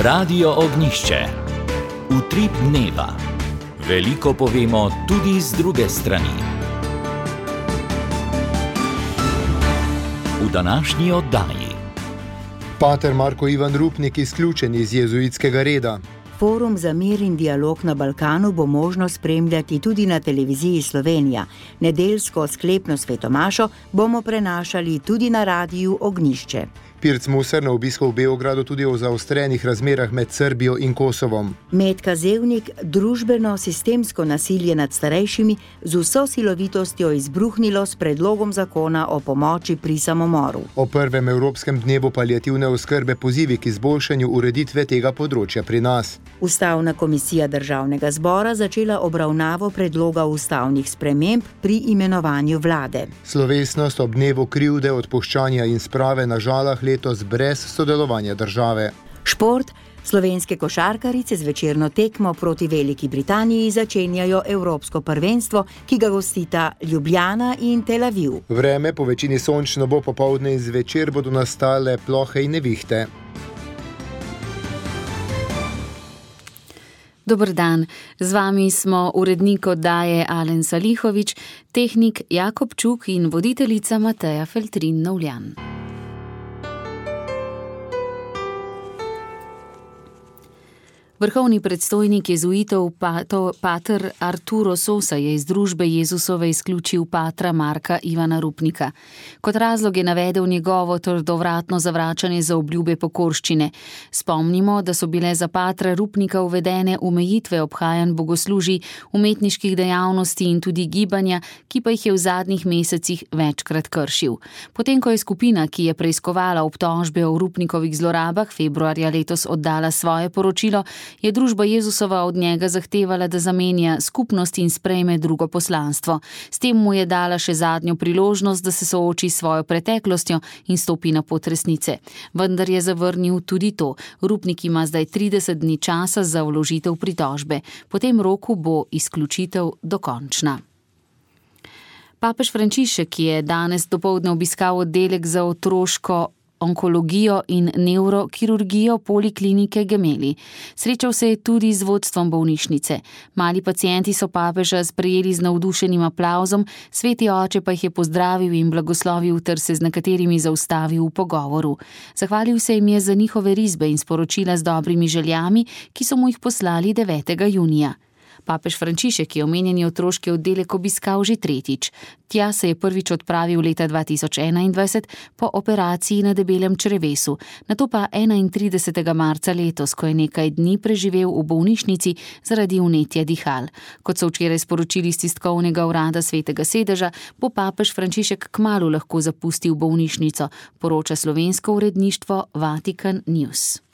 Radio Ognjišče. Utrip dneva. Veliko povemo tudi z druge strani. V današnji oddaji. Pater Marko Ivan Rupnik izključen iz jezuitskega reda. Forum za mir in dialog na Balkanu bo možno spremljati tudi na televiziji Slovenija. Nedeljsko sklepno svetomašo bomo prenašali tudi na Radiu Ognjišče. Pirc Musar na obisku v Beogradu tudi o zaostrenih razmerah med Srbijo in Kosovom. Metka Zevnik družbeno sistemsko nasilje nad starejšimi z vso silovitostjo izbruhnilo s predlogom zakona o pomoči pri samomoru. O prvem Evropskem dnevu paliativne oskrbe pozivi k izboljšanju ureditve tega področja pri nas. Ustavna komisija Državnega zbora začela obravnavo predloga ustavnih sprememb pri imenovanju vlade. Slovesnost ob dnevu krivde, odpuščanja in sprave na Žalah letos brez sodelovanja države. Šport. Slovenske košarkarice z večerno tekmo proti Veliki Britaniji začenjajo Evropsko prvenstvo, ki ga gostita Ljubljana in Tel Aviv. Vreme po večini sončno bo, popoldne in zvečer bodo nastale plohe in nevihte. Dober dan, z vami smo urednik oddaje Alen Salihovič, tehnik Jakob Čuk in voditeljica Mateja Feltrin-Novljan. Vrhovni predstojnik jezuitov pater Arturo Sosa je iz družbe Jezusove izključil patra Marka Ivana Rupnika. Kot razlog je navedel njegovo trdovratno zavračanje za obljube pokorščine. Spomnimo, da so bile za patra Rupnika uvedene omejitve obhajanj bogoslužij, umetniških dejavnosti in tudi gibanja, ki pa jih je v zadnjih mesecih večkrat kršil. Potem, ko je skupina, ki je preiskovala obtožbe o Rupnikovih zlorabah, februarja letos oddala svoje poročilo, je družba Jezusova od njega zahtevala, da zamenja skupnost in sprejme drugo poslanstvo. S tem mu je dala še zadnjo priložnost, da se sooči s svojo preteklostjo in stopi na pot resnice. Vendar je zavrnil tudi to. Rupnik ima zdaj 30 dni časa za vložitev pritožbe. Po tem roku bo izključitev dokončna. Papež Frančišek je danes dopoldne obiskal oddelek za otroško onkologijo in nevrokirurgijo Poliklinike Gemelli. Srečal se je tudi z vodstvom bolnišnice. Mali pacienti so papeža sprejeli z navdušenim aplavzom, sveti oče pa jih je pozdravil in blagoslovil ter se z nekaterimi zaustavil v pogovoru. Zahvalil se jim je za njihove risbe in sporočila z dobrimi željami, ki so mu jih poslali 9. junija. Papež Frančišek je omenjeni otroški oddelek obiskal že tretjič. Tja se je prvič odpravil leta 2021 po operaciji na debelem črevesu, nato pa 31. marca letos, ko je nekaj dni preživel v bolnišnici zaradi vnetja dihal. Kot so včeraj sporočili z tiskovnega urada Svetega sedeža, bo papež Frančišek kmalu lahko zapustil bolnišnico, poroča slovensko uredništvo Vatikan News.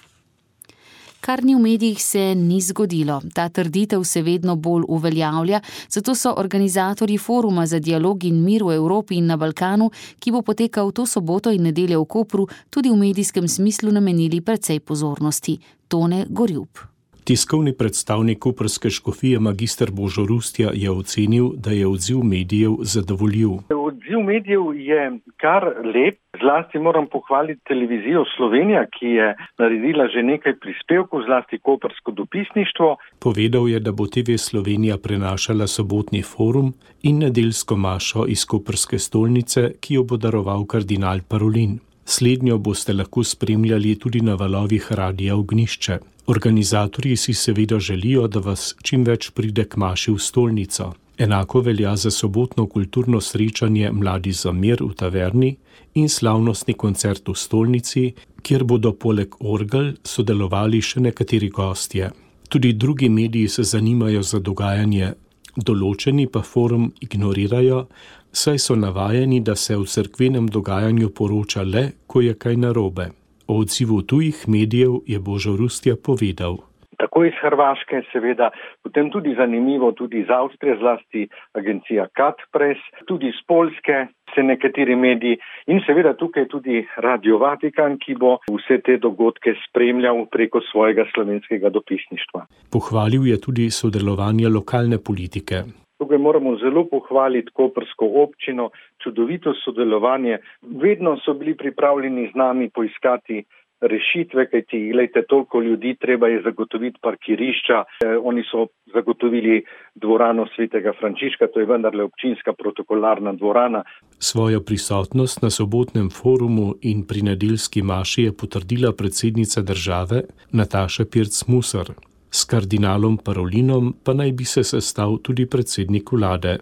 Kar ni v medijih, se ni zgodilo. Ta trditev se vedno bolj uveljavlja, zato so organizatorji Foruma za dialog in mir v Evropi in na Balkanu, ki bo potekal to soboto in nedeljo v Kopru, tudi v medijskem smislu namenili precej pozornosti. Tone Gorjup. Tiskovni predstavnik koprske škofije magister Božo Rustja je ocenil, da je odziv medijev zadovoljiv. Odziv medijev je kar lep. Zlasti moram pohvaliti televizijo Slovenija, ki je naredila že nekaj prispevkov, zlasti koprsko dopisništvo. Povedal je, da bo TV Slovenija prenašala sobotni forum in nedeljsko mašo iz koprske stolnice, ki jo bo daroval kardinal Parolin. Slednjo boste lahko spremljali tudi na valovih Radia Ognjišče. Organizatorji si seveda želijo, da vas čim več pride k maši v stolnico. Enako velja za sobotno kulturno srečanje Mladi za mir v taverni in slavnostni koncert v stolnici, kjer bodo poleg orgel sodelovali še nekateri gostje. Tudi drugi mediji se zanimajo za dogajanje, določeni pa forum ignorirajo, saj so navajeni, da se v cerkvenem dogajanju poroča le, ko je kaj narobe. O odzivu tujih medijev je Božo Rustja povedal. Tako iz Hrvaške, seveda, potem tudi zanimivo, tudi iz Avstrije, zlasti agencija Kat Press, tudi iz Poljske se nekateri mediji in seveda tukaj tudi Radio Vatikan, ki bo vse te dogodke spremljal preko svojega slovenskega dopisništva. Pohvalil je tudi sodelovanje lokalne politike. Tukaj moramo zelo pohvaliti koprsko občino, čudovito sodelovanje. Vedno so bili pripravljeni z nami poiskati rešitve, kajti glejte, toliko ljudi, treba je zagotoviti parkirišča. Oni so zagotovili dvorano Svetega Frančiška, to je vendarle občinska protokolarna dvorana. Svojo prisotnost na sobotnem forumu in pri nedeljski maši je potrdila predsednica države Nataša Pirc Musar. S kardinalom Parolinom pa naj bi se sestal tudi predsednik vlade.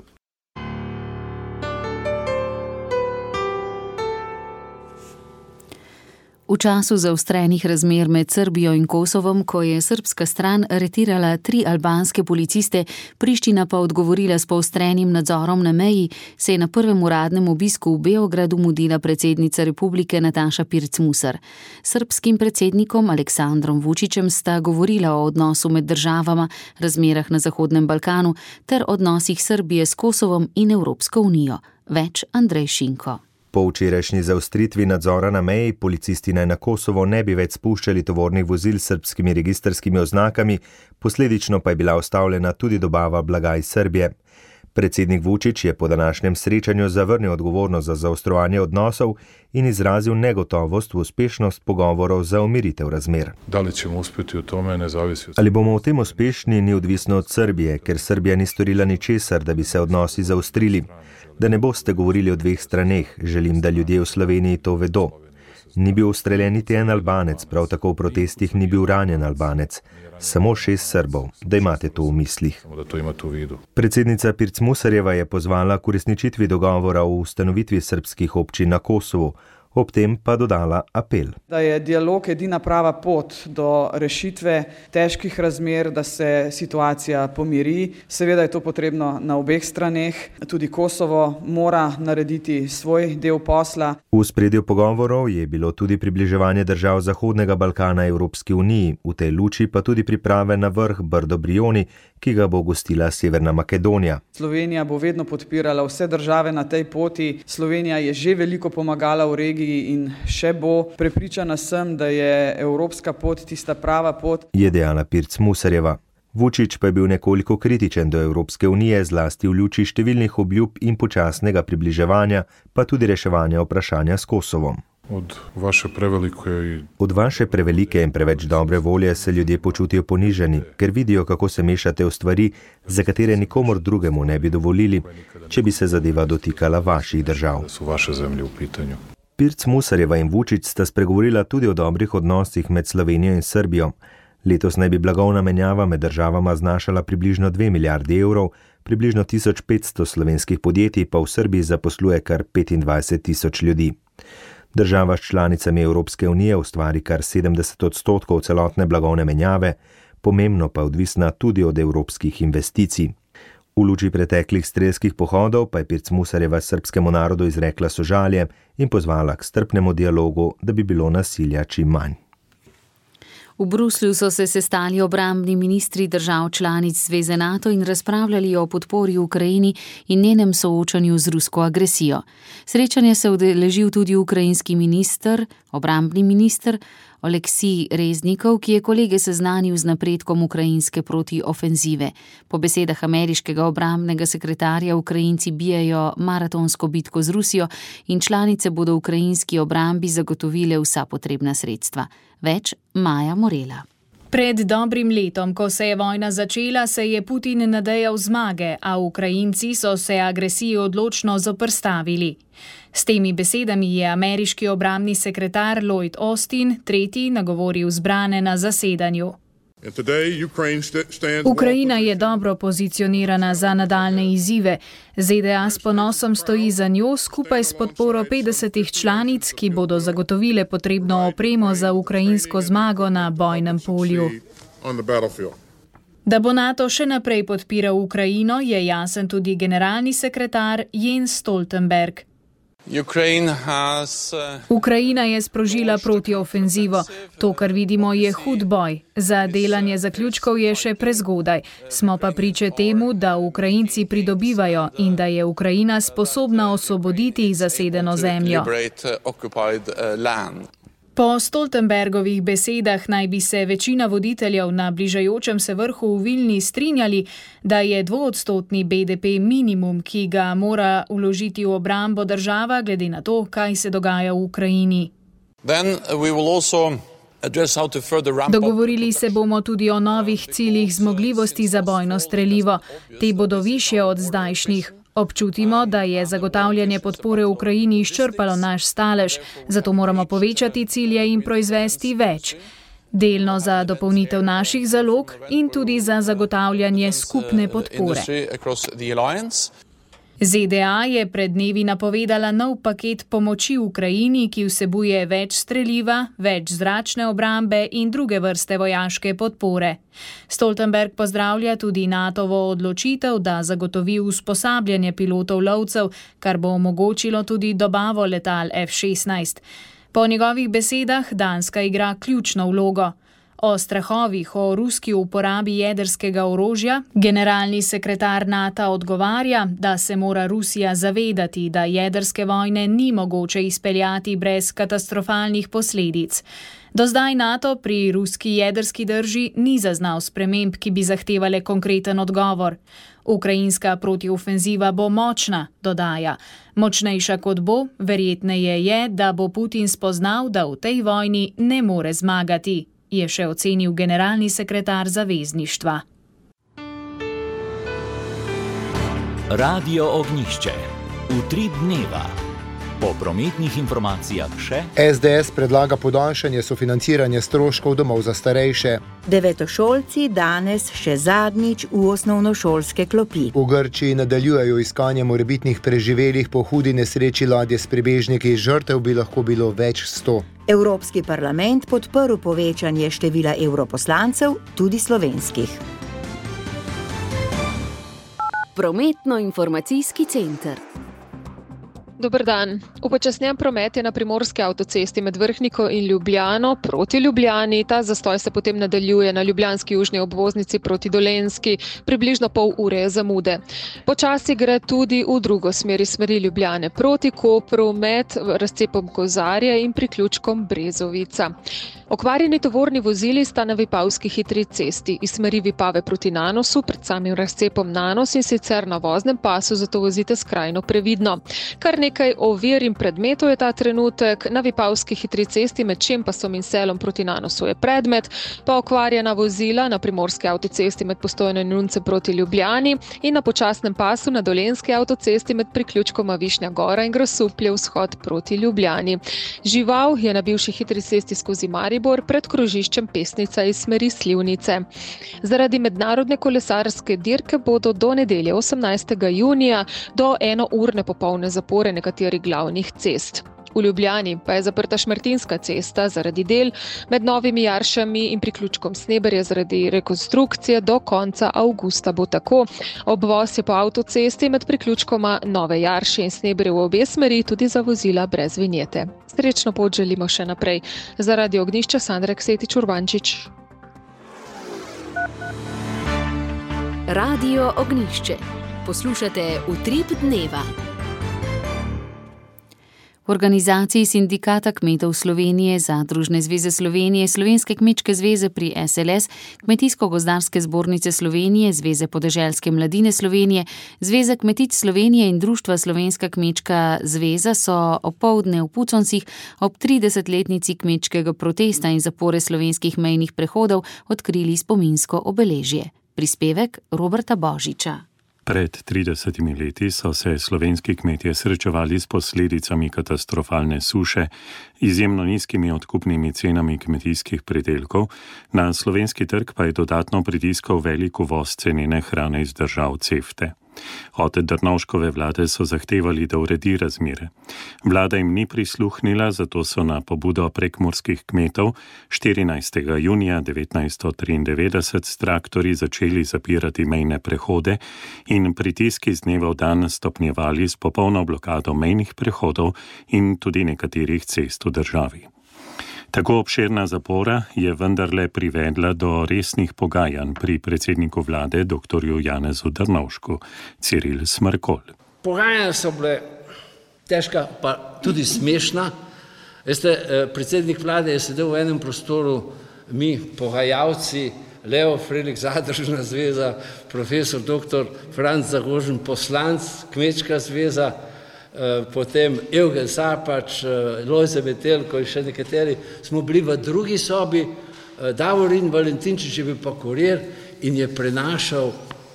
V času zaostrenih razmer med Srbijo in Kosovom, ko je srbska stran aretirala 3 albanske policiste, Priština pa odgovorila s poostrenim nadzorom na meji, se je na prvem uradnem obisku v Beogradu mudila predsednica republike Nataša Pirc Musar. Srbskim predsednikom Aleksandrom Vučićem sta govorila o odnosu med državama, razmerah na Zahodnem Balkanu ter odnosih Srbije s Kosovom in Evropsko unijo. Več Andrej Šinko. Po včerajšnji zaostritvi nadzora na meji policisti naj na Kosovo ne bi več spuščali tovornih vozil s srbskimi registrskimi oznakami, posledično pa je bila ustavljena tudi dobava blaga iz Srbije. Predsednik Vučić je po današnjem srečanju zavrnil odgovornost za zaostrovanje odnosov in izrazil negotovost v uspešnost pogovorov za umiritev razmer. Ali bomo v tem uspešni, ni odvisno od Srbije, ker Srbija ni storila ničesar, da bi se odnosi zaostrili. Da ne boste govorili o dveh straneh, želim, da ljudje v Sloveniji to vedo. Ni bil ustreljen niti en Albanec, prav tako v protestih ni bil ranjen Albanec. Samo 6 Srbov, da imate to v mislih. Predsednica Pirc Musarjeva je pozvala k uresničitvi dogovora o ustanovitvi srbskih občin na Kosovu, ob tem pa dodala apel. Da je dialog edina prava pot do rešitve težkih razmer, da se situacija pomiri. Seveda je to potrebno na obeh straneh. Tudi Kosovo mora narediti svoj del posla. V ospredju pogovorov je bilo tudi približevanje držav Zahodnega Balkana Evropski uniji, v tej luči pa tudi priprave na vrh Brdo-Brioni, ki ga bo gostila Severna Makedonija. Slovenija bo vedno podpirala vse države na tej poti. Slovenija je že veliko pomagala v regiji in še bo. Prepričana sem, da je evropska pot tista prava pot, je dejala Pirc Musarjeva. Vučić pa je bil nekoliko kritičen do Evropske unije, zlasti v luči številnih obljub in počasnega približevanja, pa tudi reševanja vprašanja s Kosovom. Od vaše prevelike in preveč dobre volje se ljudje počutijo ponižani, ker vidijo, kako se mešate v stvari, za katere nikomor drugemu ne bi dovolili, če bi se zadeva dotikala vaših držav. Pirc Musarjeva in Vučić sta spregovorila tudi o dobrih odnosih med Slovenijo in Srbijo. Letos naj bi blagovna menjava med državama znašala približno 2 milijardi evrov, približno 1500 slovenskih podjetij pa v Srbiji zaposluje kar 25 tisoč ljudi. Država s članicami Evropske unije ustvari kar 70% celotne blagovne menjave, pomembno pa odvisna tudi od evropskih investicij. V luči preteklih strelskih pohodov pa je Pirc Musarjeva srbskemu narodu izrekla sožalje in pozvala k strpnemu dialogu, da bi bilo nasilja čim manj. V Bruslju so se sestali obrambni ministri držav članic Zveze NATO in razpravljali o podpori Ukrajini in njenem soočanju z rusko agresijo. Srečanje se udeležil tudi ukrajinski obrambni minister Oleksij Reznikov, ki je kolege seznanil z napredkom ukrajinske protiofenzive. Po besedah ameriškega obrambnega sekretarja Ukrajinci bijajo maratonsko bitko z Rusijo in članice bodo ukrajinski obrambi zagotovile vsa potrebna sredstva. Več Maja Morela. Pred dobrim letom, ko se je vojna začela, se je Putin nadejal zmage, a Ukrajinci so se agresiji odločno zoperstavili. S temi besedami je ameriški obrambni sekretar Lloyd Austin tretji nagovoril zbrane na zasedanju. Ukrajina je dobro pozicionirana za nadaljne izzive. ZDA s ponosom stoji za njo skupaj s podporo 50 članic, ki bodo zagotovile potrebno opremo za ukrajinsko zmago na bojnem polju. Da bo NATO še naprej podpiral Ukrajino, je jasen tudi generalni sekretar Jens Stoltenberg. Ukrajina je sprožila protiofenzivo. To, kar vidimo, je hud boj. Za delanje zaključkov je še prezgodaj. Smo pa priče temu, da Ukrajinci pridobivajo in da je Ukrajina sposobna osvoboditi zasedeno zemljo. Po Stoltenbergovih besedah naj bi se večina voditeljev na bližajočem se vrhu v Vilni strinjali, da je 2% BDP minimum, ki ga mora vložiti v obrambo država, glede na to, kaj se dogaja v Ukrajini. Dogovorili se bomo tudi o novih ciljih zmogljivosti za bojno strelivo. Te bodo višje od zdajšnjih. Občutimo, da je zagotavljanje podpore Ukrajini izčrpalo naš stalež, zato moramo povečati cilje in proizvesti več. Delno za dopolnitev naših zalog in tudi za zagotavljanje skupne podpore. ZDA je pred dnevi napovedala nov paket pomoči Ukrajini, ki vsebuje več streliva, več zračne obrambe in druge vrste vojaške podpore. Stoltenberg pozdravlja tudi NATOvo odločitev, da zagotovi usposabljanje pilotov lovcev, kar bo omogočilo tudi dobavo letal F-16. Po njegovih besedah Danska igra ključno vlogo. O strahovih o ruski uporabi jedrskega orožja generalni sekretar NATO odgovarja, da se mora Rusija zavedati, da jedrske vojne ni mogoče izpeljati brez katastrofalnih posledic. Do zdaj NATO pri ruski jedrski drži ni zaznal sprememb, ki bi zahtevale konkreten odgovor. Ukrajinska protiofenziva bo močna, dodaja. Močnejša kot bo, verjetneje je, da bo Putin spoznal, da v tej vojni ne more zmagati, je še ocenil generalni sekretar zavezništva. Radio Ognjišče. Utrip dneva. Po prometnih informacijah še SDS predlaga podaljšanje sofinanciranja stroškov domov za starejše. Devetošolci danes še zadnjič v osnovnošolske klopi. V Grčiji nadaljujejo iskanje morebitnih preživelih po hudi nesreči ladje s prebežniki, žrtev bi lahko bilo več 100. Evropski parlament podprl povečanje števila evroposlancev, tudi slovenskih. Prometno-informacijski center. Dober dan. Upočasnjen promet je na primorski avtocesti med Vrhniko in Ljubljano proti Ljubljani. Ta zastoj se potem nadaljuje na ljubljanski južni obvoznici proti Dolenjski. Približno pol ure zamude. Počasi gre tudi v drugo smer iz smeri Ljubljane proti Kopru med razcepom Kozarje in priključkom Brezovica. Okvarjeni tovorni vozili sta na vipavski hitri cesti iz smeri Vipave proti Nanosu pred samim razcepom Nanos in sicer na voznem pasu, zato vozite skrajno previdno. Kar nekaj ovir in predmetov je ta trenutek. Na vipavski hitri cesti med Čempasom in Selom proti Nanosu je predmet, pa okvarjena vozila na primorski avtocesti med Postojno in Nuncem proti Ljubljani in na počasnem pasu na dolenjski avtocesti med priključkoma Višnja Gora in Grosuplje vzhod proti Ljubljani. Žival je na bivši hitri cesti skozi Maribor pred krožiščem Pesnica iz smeri Slivnice. Zaradi mednarodne kolesarske dirke bodo do nedelje 18. junija do 1-urne popolne zapore nekaterih glavnih cest. V Ljubljani pa je zaprta Šmartinska cesta zaradi del, med Novimi Jaršami in priključkom Sneberje zaradi rekonstrukcije do konca avgusta bo tako. Obvoz je po avtocesti med priključkoma Nove Jarše in Sneberje v obe smeri tudi za vozila brez vinjete. Srečno pot želimo še naprej. Za Radio Ognjišče Sandra Ksetič Urbančič. Radio Ognjišče. Poslušate Utrip dneva. V organizaciji Sindikata kmetov Slovenije, Zadružne zveze Slovenije, Slovenske kmečke zveze pri SLS, Kmetijsko-gozdarske zbornice Slovenije, Zveze podeželske mladine Slovenije, Zveze kmetic Slovenije in Društva Slovenska kmečka zveza so opoldne v Puconcih ob 30-letnici kmečkega protesta in zapore slovenskih mejnih prehodov odkrili spominsko obeležje. Prispevek Roberta Božiča. Pred 30 leti so se slovenski kmetje srečevali s posledicami katastrofalne suše, izjemno nizkimi odkupnimi cenami kmetijskih pridelkov, na slovenski trg pa je dodatno pritiskal velik uvoz cenene hrane iz držav CEFTE. Od Drnovškove vlade so zahtevali, da uredi razmere. Vlada jim ni prisluhnila, zato so na pobudo prekmurskih kmetov 14. junija 1993 s traktorji začeli zapirati mejne prehode in pritiski z dneva v dan stopnjevali s popolno blokado mejnih prehodov in tudi nekaterih cest v državi. Tako obširna zapora je vendarle privedla do resnih pogajanj pri predsedniku vlade, dr. Janezu Drnovšku, Ciril Smrkolj. Pogajanja so bile težka, pa tudi smešna. Veste, predsednik vlade je sedel v enem prostoru, mi pogajalci, Leo Frelik, Zadružna zveza, profesor dr. Franc Zagožen, poslanc, Kmečka zveza, potem Evgen Sapač, Lojze Metelko in še nekateri, smo bili v drugi sobi, Davorin Valentinčič je bil pa kurir in je prenašal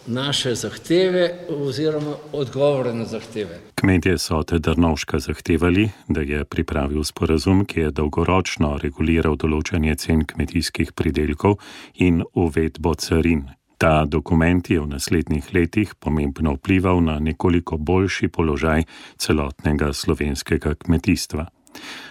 naše zahteve oziroma odgovore na zahteve. Kmetje so od Drnovška zahtevali, da je pripravil sporazum, ki je dolgoročno reguliral določanje cen kmetijskih pridelkov in uvedbo carin. Ta dokument je v naslednjih letih pomembno vplival na nekoliko boljši položaj celotnega slovenskega kmetijstva.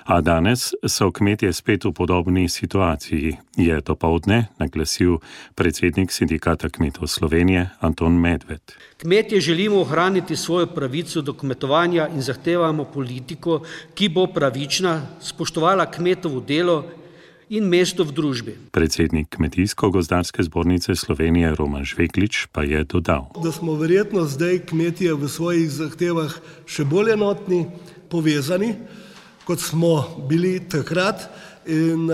A danes so kmetje spet v podobni situaciji, je dopoldne naglasil predsednik Sindikata kmetov Slovenije Anton Medved. Kmetje želimo ohraniti svojo pravico do kmetovanja in zahtevamo politiko, ki bo pravična, spoštovala kmetovo delo in mesto v družbi. Predsednik Kmetijsko-gozdarske zbornice Slovenije Roman Žveglič pa je dodal, da smo verjetno zdaj kmetje v svojih zahtevah še bolj enotni, povezani, kot smo bili takrat, in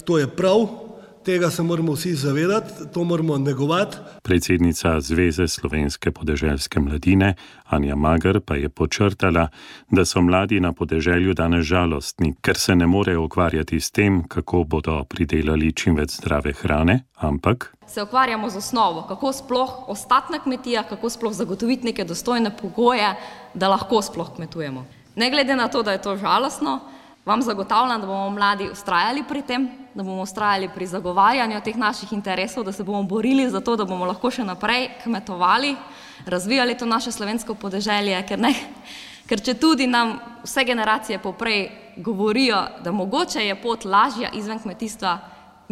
to je prav, tega se moramo vsi zavedati, to moramo negovati. Predsednica Zveze slovenske podeželske mladine Anja Mager pa je podčrtala, da so mladi na podeželju danes žalostni, ker se ne morejo ukvarjati s tem, kako bodo pridelali čim več zdrave hrane, ampak se ukvarjamo z osnovo, kako sploh ostati na kmetijah, kako sploh zagotoviti neke dostojne pogoje, da lahko sploh kmetujemo. Ne glede na to, da je to žalostno, vam zagotavljam, da bomo mladi vztrajali pri tem, da bomo vztrajali pri zagovarjanju teh naših interesov, da se bomo borili za to, da bomo lahko še naprej kmetovali, razvijali to naše slovensko podeželje, ker če tudi nam vse generacije poprej govorijo, da mogoče je pot lažja izven kmetijstva,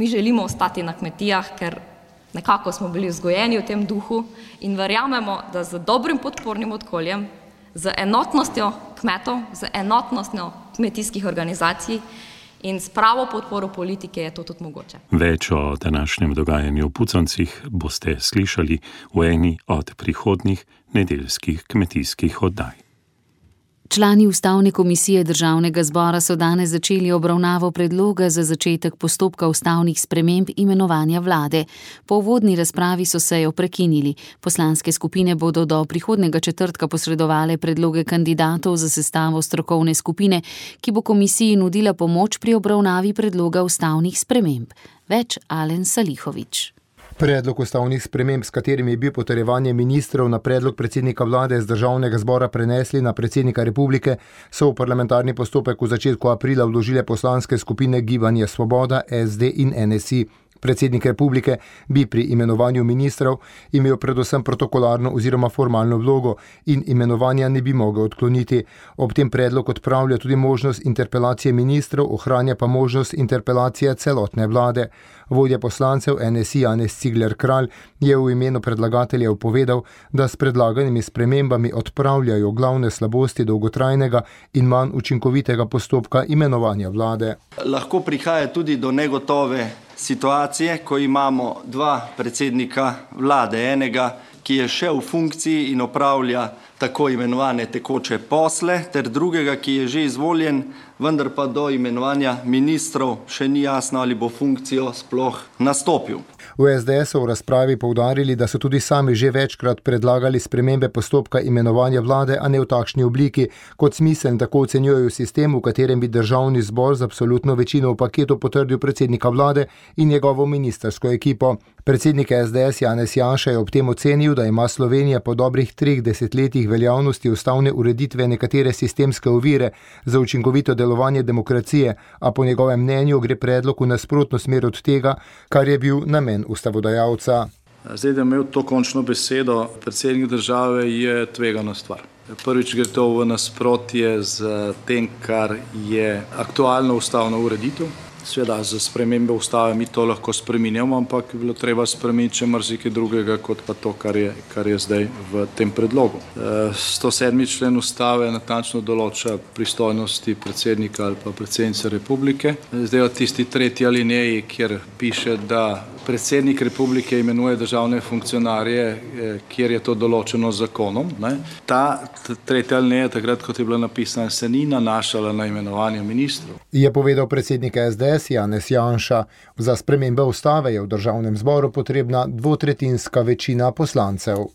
mi želimo ostati na kmetijah, ker nekako smo bili vzgojeni v tem duhu in verjamemo, da z dobrim podpornim okoljem, z enotnostjo kmetov, z enotnostjo kmetijskih organizacij in s pravo podporo politike je to tudi mogoče. Več o današnjem dogajanju v Puconcih boste slišali v eni od prihodnjih nedeljskih kmetijskih oddaj. Člani Ustavne komisije Državnega zbora so danes začeli obravnavo predloga za začetek postopka ustavnih sprememb imenovanja vlade. Po uvodni razpravi so sejo prekinili. Poslanske skupine bodo do prihodnjega četrtka posredovale predloge kandidatov za sestavo strokovne skupine, ki bo komisiji nudila pomoč pri obravnavi predloga ustavnih sprememb. Več Alen Salihović. Predlog ustavnih sprememb, s katerimi je bil potrjevanje ministrov na predlog predsednika vlade z Državnega zbora prenesli na predsednika republike, so v parlamentarni postopek v začetku aprila vložile poslanske skupine Gibanje Svoboda, SD in NSI. Predsednik republike bi pri imenovanju ministrov imel predvsem protokolarno oziroma formalno vlogo in imenovanja ne bi mogel odkloniti. Ob tem predlog odpravlja tudi možnost interpelacije ministrov, ohranja pa možnost interpelacije celotne vlade. Vodja poslancev NSI Janez Cigler Kralj je v imenu predlagateljev povedal, da s predlaganimi spremembami odpravljajo glavne slabosti dolgotrajnega in manj učinkovitega postopka imenovanja vlade. Lahko prihaja tudi do negotove situacije, ko imamo dva predsednika vlade, enega, ki je še v funkciji in opravlja tako imenovane tekoče posle, ter drugega, ki je že izvoljen, vendar pa do imenovanja ministrov še ni jasno, ali bo funkcijo sploh nastopil. V SDS so v razpravi poudarili, da so tudi sami že večkrat predlagali spremembe postopka imenovanja vlade, a ne v takšni obliki, kot smiseln tako ocenjujejo sistem, v katerem bi državni zbor z absolutno večino v paketu potrdil predsednika vlade in njegovo ministrsko ekipo. Predsednik SDS Janez Janša je ob tem ocenil, da ima Slovenija po dobrih 3 desetletjih veljavnosti ustavne ureditve nekatere sistemske ovire za učinkovito delovanje demokracije, a po njegovem mnenju gre predlog v nasprotno smer od tega, kar je bil namen ustavodajalca. Zdaj, da imel to končno besedo predsednik države, je tvegana stvar. Prvič gre to v nasprotje z tem, kar je aktualna ustavna ureditev. Seveda, za spremembe ustave mi to lahko spreminjamo, ampak je bilo treba spremeniti še marsikaj drugega, kot pa to, kar je zdaj v tem predlogu. 107. člen ustave natančno določa pristojnosti predsednika ali pa predsednice republike. Zdaj v tisti 3. alineji, kjer piše, da predsednik republike imenuje državne funkcionarje, kjer je to določeno z zakonom. Ta 3. alineja, takrat, kot je bila napisana, se ni nanašala na imenovanje ministrov. Je povedal predsednik SDS Janez Janša. Za spremembe ustave je v Državnem zboru potrebna 2/3 večina poslancev.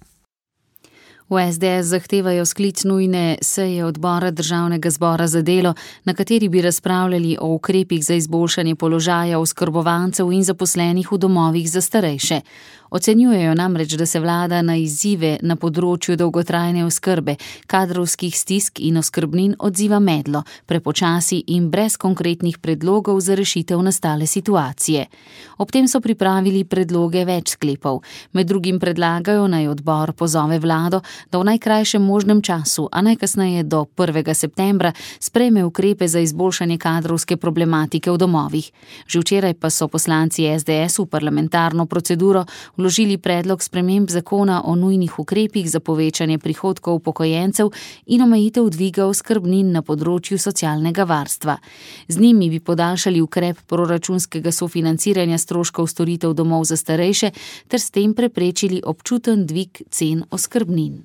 V SDS zahtevajo sklic nujne seje odbora Državnega zbora za delo, na kateri bi razpravljali o ukrepih za izboljšanje položaja oskrbovancev in zaposlenih v domovih za starejše. Ocenjujejo namreč, da se vlada na izzive na področju dolgotrajne oskrbe, kadrovskih stisk in oskrbnin odziva medlo, prepočasi in brez konkretnih predlogov za rešitev nastale situacije. Ob tem so pripravili predloge več sklepov. Med drugim predlagajo, naj odbor pozove vlado, da v najkrajšem možnem času, a najkasneje do 1. septembra, sprejme ukrepe za izboljšanje kadrovske problematike v domovih. Že včeraj pa so poslanci SDS v parlamentarno proceduro vložili predlog sprememb zakona o nujnih ukrepih za povečanje prihodkov upokojencev in omejitev dviga oskrbnin na področju socialnega varstva. Z njimi bi podaljšali ukrep proračunskega sofinanciranja stroškov storitev domov za starejše ter s tem preprečili občuten dvig cen oskrbnin.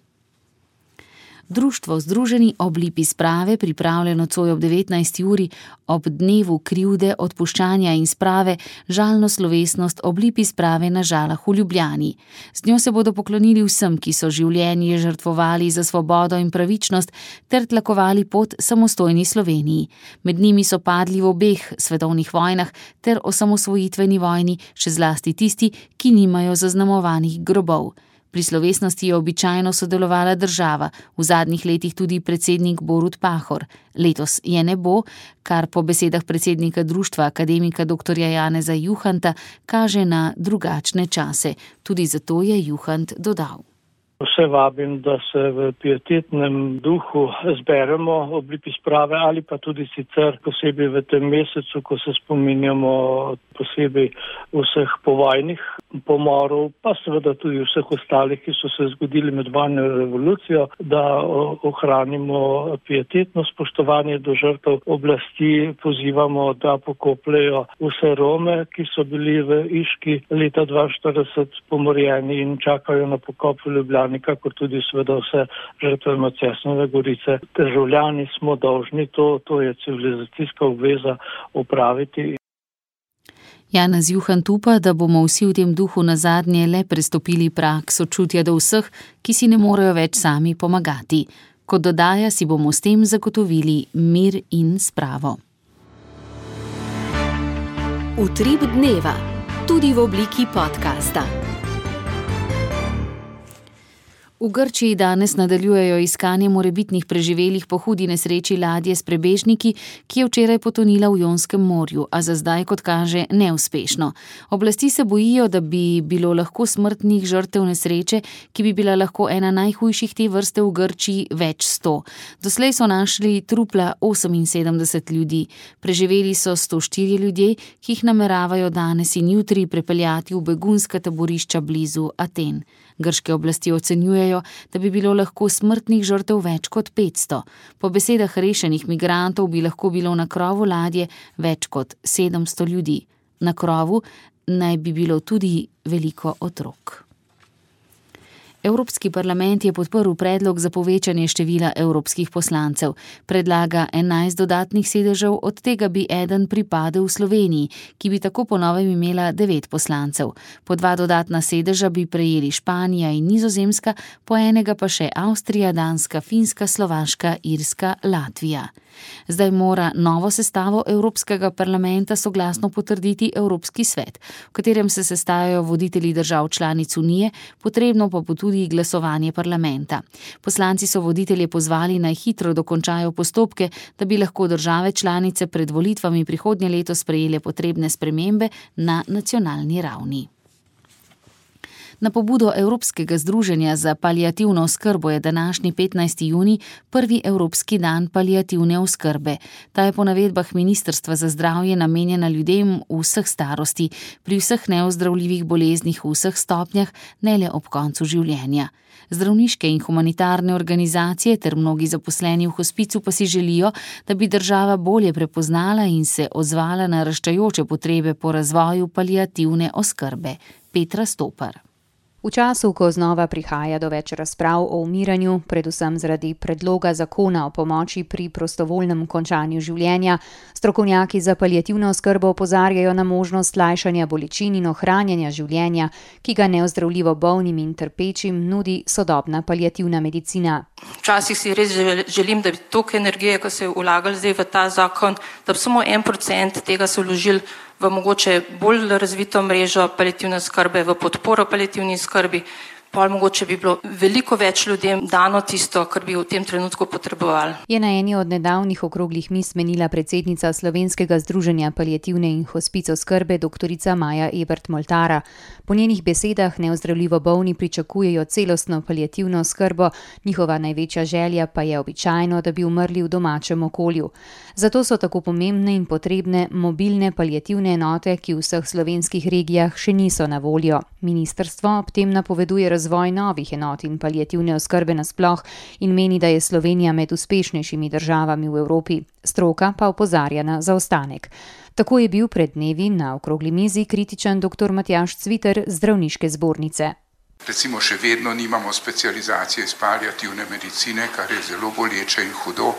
Društvo Združeni ob lipi sprave pripravlja nocoj ob 19. uri ob dnevu krivde, odpuščanja in sprave žalno slovesnost ob lipi sprave na Žalah v Ljubljani. Z njo se bodo poklonili vsem, ki so življenje žrtvovali za svobodo in pravičnost ter tlakovali pot samostojni Sloveniji. Med njimi so padli v obeh svetovnih vojnah ter osamosvojitveni vojni, še zlasti tisti, ki nimajo zaznamovanih grobov. Pri slovesnosti je običajno sodelovala država, v zadnjih letih tudi predsednik Borut Pahor. Letos je ne bo, kar po besedah predsednika društva akademika dr. Janeza Juhanta kaže na drugačne čase. Tudi zato je Juhant dodal. Vse vabim, da se v pietetnem duhu zberemo ob lipi sprave ali pa tudi sicer posebej v tem mesecu, ko se spominjamo posebej vseh povojnih pomorov, pa seveda tudi vseh ostalih, ki so se zgodili med vojno revolucijo, da ohranimo pietetno spoštovanje do žrtev. Oblasti pozivamo, da pokopljejo vse Rome, ki so bili v Iški leta 1942 pomorjeni in čakajo na pokop v Ljubljani, kakor tudi seveda vse žrtve Macesnove Gorice. Državljani smo dolžni to je civilizacijska obveza opraviti. Janez Juhant upa, da bomo vsi v tem duhu nazadnje le prestopili prag sočutja do vseh, ki si ne morejo več sami pomagati. Kot dodaja, si bomo s tem zagotovili mir in spravo. Utrip dneva, tudi v obliki podcasta. V Grčiji danes nadaljujejo iskanje morebitnih preživelih po hudi nesreči ladje s prebežniki, ki je včeraj potonila v Jonskem morju, a za zdaj, kot kaže, neuspešno. Oblasti se bojijo, da bi bilo lahko smrtnih žrtev nesreče, ki bi bila lahko ena najhujših te vrste v Grčiji, več 100. Doslej so našli trupla 78 ljudi. Preživeli so 104 ljudje, ki jih nameravajo danes in jutri prepeljati v begunska taborišča blizu Aten. Grške oblasti ocenjujejo, da bi bilo lahko smrtnih žrtev več kot 500. Po besedah rešenih migrantov bi lahko bilo na krovu ladje več kot 700 ljudi. Na krovu naj bi bilo tudi veliko otrok. Evropski parlament je podprl predlog za povečanje števila evropskih poslancev. Predlaga 11 dodatnih sedežev, od tega bi eden pripadel Sloveniji, ki bi tako po novem imela 9 poslancev. Po 2 dodatna sedeža bi prejeli Španija in Nizozemska, po enega pa še Avstrija, Danska, Finska, Slovaška, Irska, Latvija. Zdaj mora novo sestavo Evropskega parlamenta soglasno potrditi Evropski svet, v katerem se sestajajo voditelji držav članic Unije, potrebno pa bo tudi glasovanje parlamenta. Poslanci so voditelje pozvali, naj hitro dokončajo postopke, da bi lahko države članice pred volitvami prihodnje leto sprejele potrebne spremembe na nacionalni ravni. Na pobudo Evropskega združenja za paliativno oskrbo je današnji 15. junij prvi Evropski dan paliativne oskrbe. Ta je po navedbah Ministrstva za zdravje namenjena ljudem v vseh starosti, pri vseh neozdravljivih boleznih v vseh stopnjah, ne le ob koncu življenja. Zdravniške in humanitarne organizacije ter mnogi zaposleni v hospicu pa si želijo, da bi država bolje prepoznala in se odzvala na raščajoče potrebe po razvoju paliativne oskrbe. Petra Stopar. V času, ko znova prihaja do več razprav o umiranju, predvsem zaradi predloga zakona o pomoči pri prostovoljnem končanju življenja, strokovnjaki za paliativno oskrbo opozarjajo na možnost lajšanja bolečin in ohranjanja življenja, ki ga neozdravljivo bolnim in trpečim nudi sodobna paliativna medicina. Včasih si res želim, da bi toliko energije, ko se je vlagali zdaj v ta zakon, da bi samo 1% tega se vložili v mogoče bolj razvito mrežo paliativne skrbe, v podporo paliativni skrbi, pol mogoče bi bilo veliko več ljudem dano tisto, kar bi v tem trenutku potrebovali. Je na eni od nedavnih okroglih miz menila predsednica Slovenskega združenja paliativne in hospic oskrbe doktorica Maja Ebert-Moltara. Po njenih besedah neozdravljivo bolni pričakujejo celostno paliativno oskrbo, njihova največja želja pa je običajno, da bi umrli v domačem okolju. Zato so tako pomembne in potrebne mobilne paliativne enote, ki v vseh slovenskih regijah še niso na voljo. Ministrstvo ob tem napoveduje razvoj novih enot in paliativne oskrbe nasploh in meni, da je Slovenija med uspešnejšimi državami v Evropi. Stroka pa opozarja na zaostanek. Tako je bil pred dnevi na okrogli mizi kritičen dr. Matjaž Cviter z Zdravniške zbornice. Recimo še vedno nimamo specializacije iz paliativne medicine, kar je zelo boleče in hudo.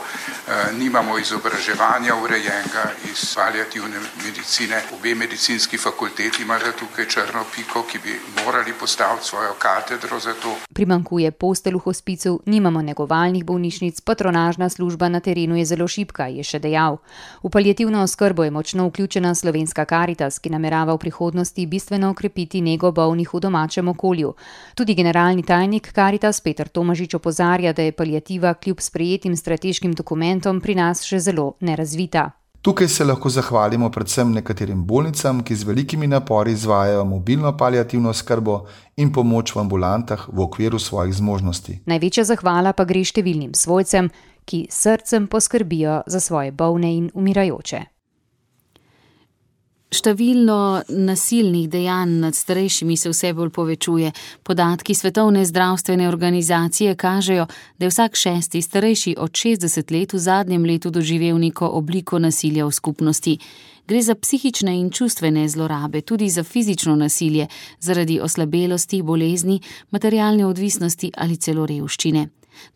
Nimamo izobraževanja urejenega iz paliativne medicine. Obe medicinski fakulteti imajo tukaj črno piko, ki bi morali postaviti svojo katedro za to. Primanjkuje postelj v hospicu, nimamo negovalnih bolnišnic, patronažna služba na terenu je zelo šibka, je še dejal. V paliativno oskrbo je močno vključena Slovenska Karitas, ki namerava v prihodnosti bistveno okrepiti nego bolnih v domačem okolju. Tudi generalni tajnik Karitas Peter Tomažič opozarja, da je paliativa kljub sprejetim strateškim dokumentom pri nas še zelo nerazvita. Tukaj se lahko zahvalimo predvsem nekaterim bolnicam, ki z velikimi napori izvajajo mobilno paliativno oskrbo in pomoč v ambulantah v okviru svojih zmožnosti. Največja zahvala pa gre številnim svojcem, ki s srcem poskrbijo za svoje bolne in umirajoče. Število nasilnih dejanj nad starejšimi se vse bolj povečuje. Podatki Svetovne zdravstvene organizacije kažejo, da je vsak 6. starejši od 60 let v zadnjem letu doživel neko obliko nasilja v skupnosti. Gre za psihične in čustvene zlorabe, tudi za fizično nasilje, zaradi oslabelosti, bolezni, materialne odvisnosti ali celo revščine.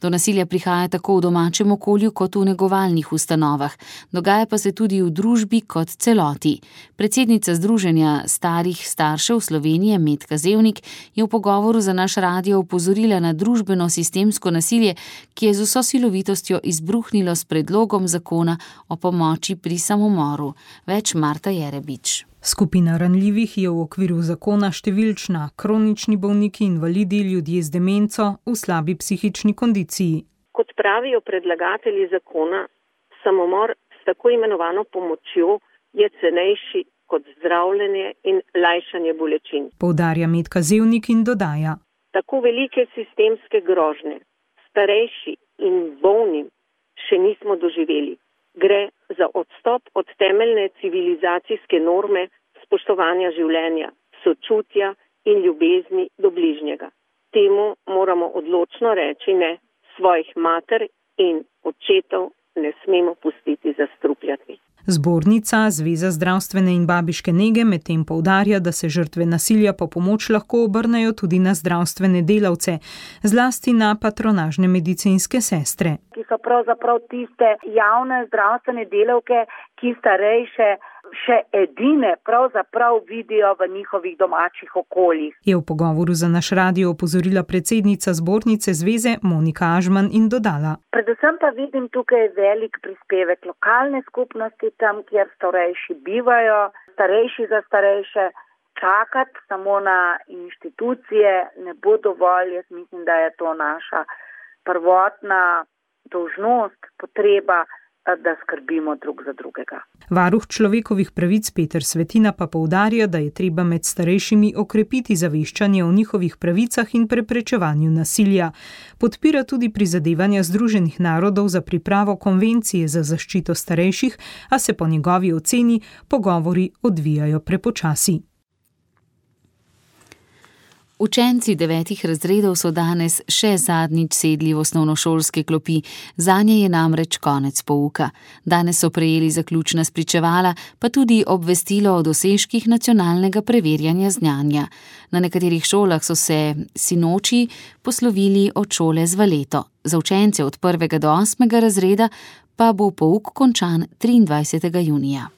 Do nasilja prihaja tako v domačem okolju kot v negovalnih ustanovah. Dogaja pa se tudi v družbi kot celoti. Predsednica Združenja starih staršev Slovenije Metka Zevnik je v pogovoru za naš radio opozorila na družbeno sistemsko nasilje, ki je z vso silovitostjo izbruhnilo s predlogom zakona o pomoči pri samomoru. Več Marta Jerebič. Skupina ranljivih je v okviru zakona številčna, kronični bolniki, invalidi, ljudje z demenco v slabi psihični kondiciji. Kot pravijo predlagatelji zakona, samomor s tako imenovano pomočjo je cenejši kot zdravljenje in lajšanje bolečin. Poudarja Metka Zevnik in dodaja. Tako velike sistemske grožnje starejši in bolnim še nismo doživeli. Gre za odstop od temeljne civilizacijske norme spoštovanja življenja, sočutja in ljubezni do bližnjega. Temu moramo odločno reči ne, svojih mater in očetov ne smemo pustiti zastrupljati. Zbornica Zveza zdravstvene in babiške nege medtem poudarja, da se žrtve nasilja po pomoč lahko obrnejo tudi na zdravstvene delavce, zlasti na patronažne medicinske sestre. Ki so pravzaprav tiste javne zdravstvene delavke, ki starejše še edine pravzaprav vidijo v njihovih domačih okoljih. Je v pogovoru za naš radio opozorila predsednica zbornice Zveze Monika Ažman in dodala. Predvsem pa vidim tukaj velik prispevek lokalne skupnosti, tam, kjer starejši bivajo, starejši za starejše. Čakati samo na inštitucije ne bo dovolj. Jaz mislim, da je to naša prvotna dolžnost, potreba, da skrbimo drug za drugega. Varuh človekovih pravic Peter Svetina pa poudarja, da je treba med starejšimi okrepiti zaveščanje o njihovih pravicah in preprečevanju nasilja. Podpira tudi prizadevanja Združenih narodov za pripravo konvencije za zaščito starejših, a se po njegovi oceni pogovori odvijajo prepočasi. Učenci 9 razredov so danes še zadnjič sedli v osnovnošolske klopi, zanje je namreč konec pouka. Danes so prejeli zaključna spričevala, pa tudi obvestilo o dosežkih nacionalnega preverjanja znanja. Na nekaterih šolah so se sinoči poslovili od šole z valeto. Za učence od 1. do 8. razreda pa bo pouk končan 23. junija.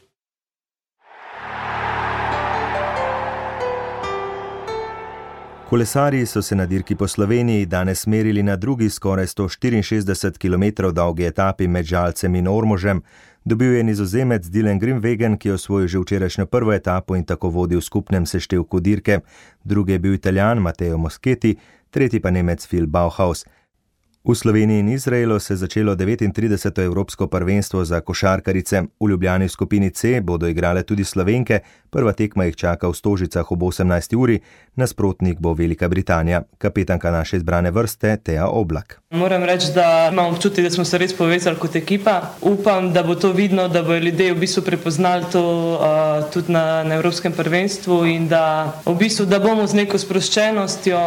Kolesarji so se na dirki po Sloveniji danes merili na drugi skoraj 164 km dolgi etapi med Žalcem in Ormožem. Dobil je Nizozemec Dylan Groenewegen, ki je osvojil že včerajšnjo prvo etapo in tako vodil v skupnem seštevku dirke. Drugi je bil Italijan Matteo Moschetti, tretji pa Nemec Phil Bauhaus. V Sloveniji in Izraelu se je začelo 39. evropsko prvenstvo za košarkarice. V Ljubljani v skupini C bodo igrale tudi Slovenke, prva tekma jih čaka v Stožicah ob 18. uri, nasprotnik bo Velika Britanija. Kapetanka naše izbrane vrste Teja Oblak. Moram reči, da imam občutek, da smo se res povezali kot ekipa. Upam, da bo to vidno, da bodo ljudje v bistvu prepoznali to tudi na evropskem prvenstvu in da v bistvu, da bomo z neko sproščenostjo,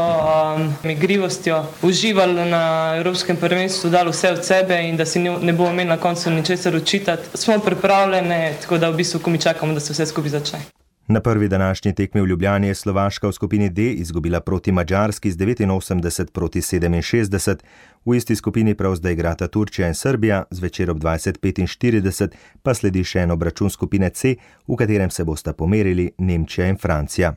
igrivostjo uživali na evropskem prvenstvu, dali vse od sebe in da si ne bomo imeli na koncu ničesar očitati. Smo pripravljene, tako da v bistvu, ko mi čakamo, da se vse skupaj začne. Na prvi današnji tekmi v Ljubljani je Slovaška v skupini D izgubila proti Madžarski z 89 proti 67. V isti skupini prav zdaj igrata Turčija in Srbija, zvečer ob 20:45 pa sledi še en obračun skupine C, v katerem se bosta pomerili Nemčija in Francija.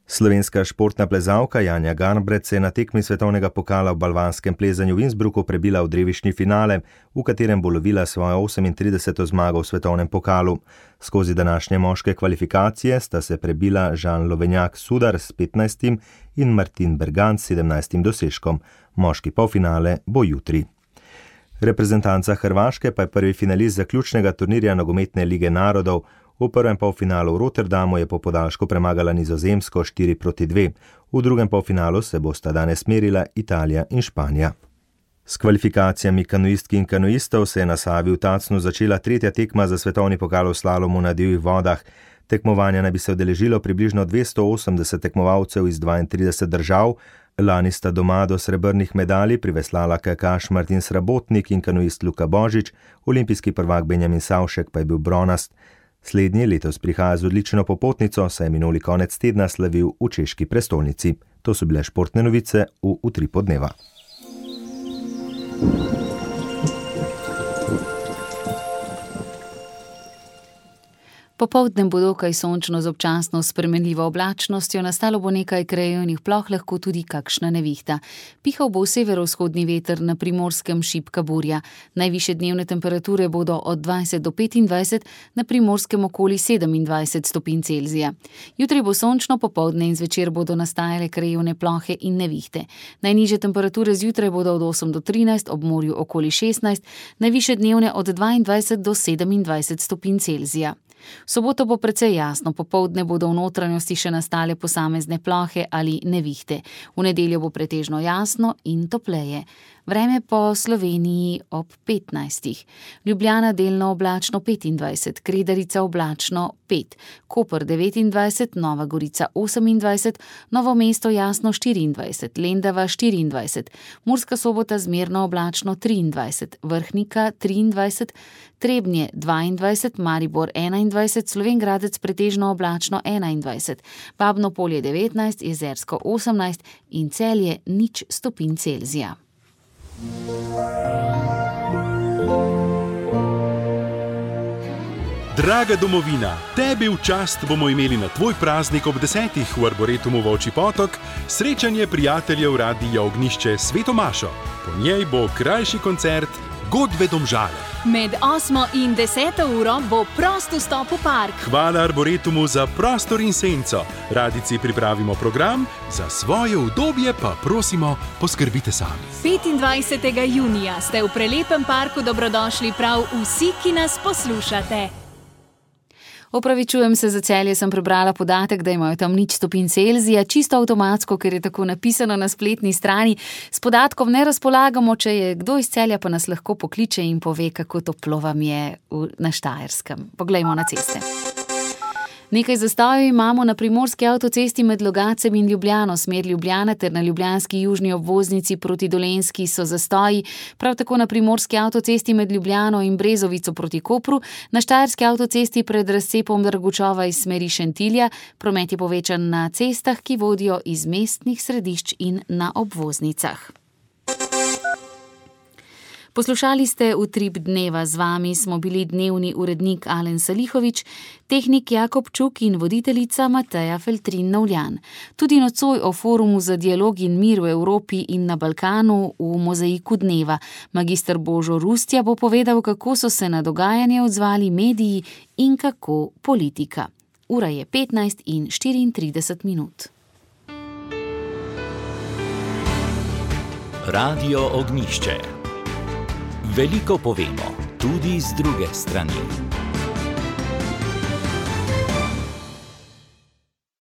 Slovenska športna plezalka Janja Garnbret se je na tekmi svetovnega pokala v balvanskem plezanju v Innsbrucku prebila v drevišni finale, v katerem bo lovila svojo 38. zmago v svetovnem pokalu. Skozi današnje moške kvalifikacije sta se prebila Žan Lovenjak-Sudar s 15. in Martin Bergant s 17. dosežkom. Moški polfinale bo jutri. Reprezentanca Hrvaške pa je prvi finalist zaključnega turnirja nogometne lige narodov. V prvem polfinalu v Rotterdamu je po podaljšku premagala Nizozemsko 4:2. V drugem polfinalu se bosta danes merila Italija in Španija. S kvalifikacijami kanuistki in kanuistov se je na Savi v Tacnu začela tretja tekma za svetovni pokal v slalomu na divjih vodah. Tekmovanja naj bi se udeležilo približno 280 tekmovalcev iz 32 držav. Lani sta doma do srebrnih medalj priveslala kajakaš Martin Srabotnik in kanuist Luka Božič, olimpijski prvak Benjamin Savšek pa je bil bronast. Slednji letos prihaja z odlično popotnico, saj je minuli konec tedna slavil v češki prestolnici. To so bile športne novice v Utripu dneva. Popoldne bo dokaj sončno z občasno spremenljivo oblačnostjo, nastalo bo nekaj krajevnih ploh, lahko tudi kakšna nevihta. Pihal bo severovzhodni veter, na Primorskem šibka burja. Najvišje dnevne temperature bodo od 20 do 25, na Primorskem okoli 27 stopinj Celzija. Jutri bo sončno, popoldne in zvečer bodo nastajale krajevne plohe in nevihte. Najnižje temperature zjutraj bodo od 8 do 13, ob morju okoli 16, najvišje dnevne od 22 do 27 stopinj Celzija. V soboto bo precej jasno, popoldne bodo v notranjosti še nastale posamezne plohe ali nevihte. V nedeljo bo pretežno jasno in topleje. Vreme po Sloveniji ob 15. Ljubljana delno oblačno 25, Kredarica oblačno 5, Koper 29, Nova Gorica 28, Novo mesto jasno 24, Lendava 24, Murska Sobota zmerno oblačno 23, Vrhnika 23, Trebnje 22, Maribor 21, Slovenj Gradec pretežno oblačno 21, Babno Polje 19, Jezersko 18 in Celje 0 stopinj Celzija. Draga domovina, tebi v čast bomo imeli na tvoj praznik ob 10. v Arboretumu Volčji Potok srečanje prijateljev Radia Ognjišče s Sveto Mašo. Po njej bo krajši koncert Godbe Domžale. Med 8. in 10. uro bo prost vstop v park. Hvala Arboretumu za prostor in senco. Radici pripravimo program, za svoje udobje pa prosimo, poskrbite sami. 25. junija ste v prelepem parku dobrodošli prav vsi, ki nas poslušate. Opravičujem se za Celje, sem prebrala podatek, da imajo tam 0 stopinj Celzija, čisto avtomatsko, ker je tako napisano na spletni strani. S podatkom ne razpolagamo, če je kdo iz Celja, pa nas lahko pokliče in pove, kako toplo vam je na Štajerskem. Poglejmo na ceste. Nekaj zastojev imamo na primorski avtocesti med Logatcem in Ljubljano, smer Ljubljana ter na ljubljanski južni obvoznici proti Dolenjski so zastoji, prav tako na primorski avtocesti med Ljubljano in Brezovico proti Kopru, na štajerski avtocesti pred razcepom Dragučova iz smeri Šentilja, promet je povečan na cestah, ki vodijo iz mestnih središč in na obvoznicah. Poslušali ste Utrip dneva, z vami smo bili dnevni urednik Alen Salihovič, tehnik Jakob Čuk in voditeljica Mateja Feltrin-Novljan. Tudi nocoj o forumu za dialog in mir v Evropi in na Balkanu v mozaiku dneva. Magister Božo Rustja bo povedal, kako so se na dogajanje odzvali mediji in kako politika. Ura je 15:34. Radio Ognjišče. Veliko povemo, tudi z druge strani.